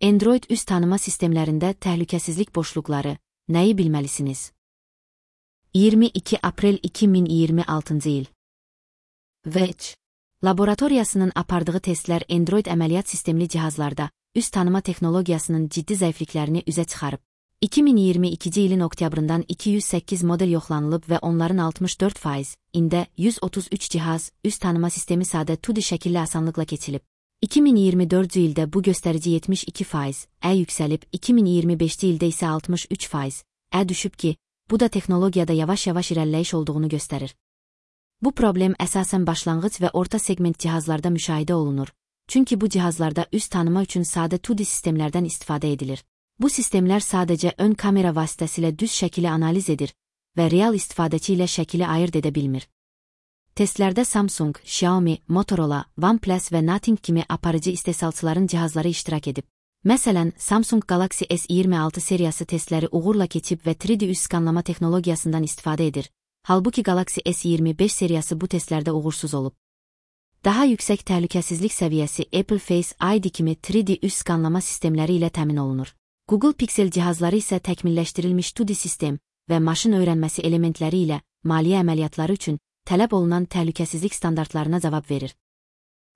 Android üz tanıma sistemlərində təhlükəsizlik boşluqları, nəyi bilməlisiniz? 22 aprel 2026 il. Wedge laboratoriyasının apardığı testlər Android əməliyyat sistemli cihazlarda üz tanıma texnologiyasının ciddi zəifliklərini üzə çıxarıb. 2022 ilin oktyabrından 208 model yoxlanılıb və onların 64%-ində 133 cihaz üz tanıma sistemi sadə 2D şəkilli asanlıqla keçilib. 2024 ildə bu göstərici 72%-ə yüksəlib, 2025 ildə isə 63%-ə düşüb ki, bu da texnologiyada yavaş-yavaş irəliləyiş olduğunu göstərir. Bu problem əsasən başlanğıc və orta segment cihazlarda müşahidə olunur. Çünki bu cihazlarda üz tanıma üçün sadə 2D sistemlərdən istifadə edilir. Bu sistemlər sadəcə ön kamera vasitəsilə düz şəkili analiz edir və real istifadəçi ilə şəkili ayırd edə bilmir. Testlərdə Samsung, Xiaomi, Motorola, OnePlus və Nothing kimi aparıcı istehsalçıların cihazları iştirak edib. Məsələn, Samsung Galaxy S26 seriyası testləri uğurla keçib və 3D üz skanlama texnologiyasından istifadə edir. Halbuki Galaxy S25 seriyası bu testlərdə uğursuz olub. Daha yüksək təhlükəsizlik səviyyəsi Apple Face ID kimi 3D üz skanlama sistemləri ilə təmin olunur. Google Pixel cihazları isə təkmilləşdirilmiş 2D sistem və maşın öyrənməsi elementləri ilə maliyyə əməliyyatları üçün tələb olunan təhlükəsizlik standartlarına cavab verir.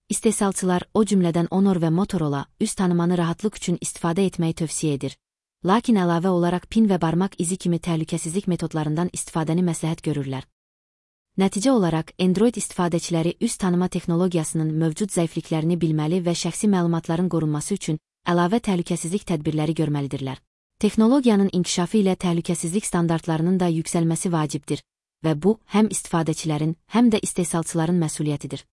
İstehsalçılar, o cümlədən Honor və Motorola, üz tanımanı rahatlıq üçün istifadə etməyi tövsiyə edir. Lakin əlavə olaraq pin və barmaq izi kimi təhlükəsizlik metodlarından istifadəni məsləhət görürlər. Nəticə olaraq, Android istifadəçiləri üz tanıma texnologiyasının mövcud zəifliklərini bilməli və şəxsi məlumatların qorunması üçün əlavə təhlükəsizlik tədbirləri görməlidirlər. Texnologiyanın inkişafı ilə təhlükəsizlik standartlarının da yüksəlməsi vacibdir və bu, həm istifadəçilərin, həm də istehsalçıların məsuliyyətidir.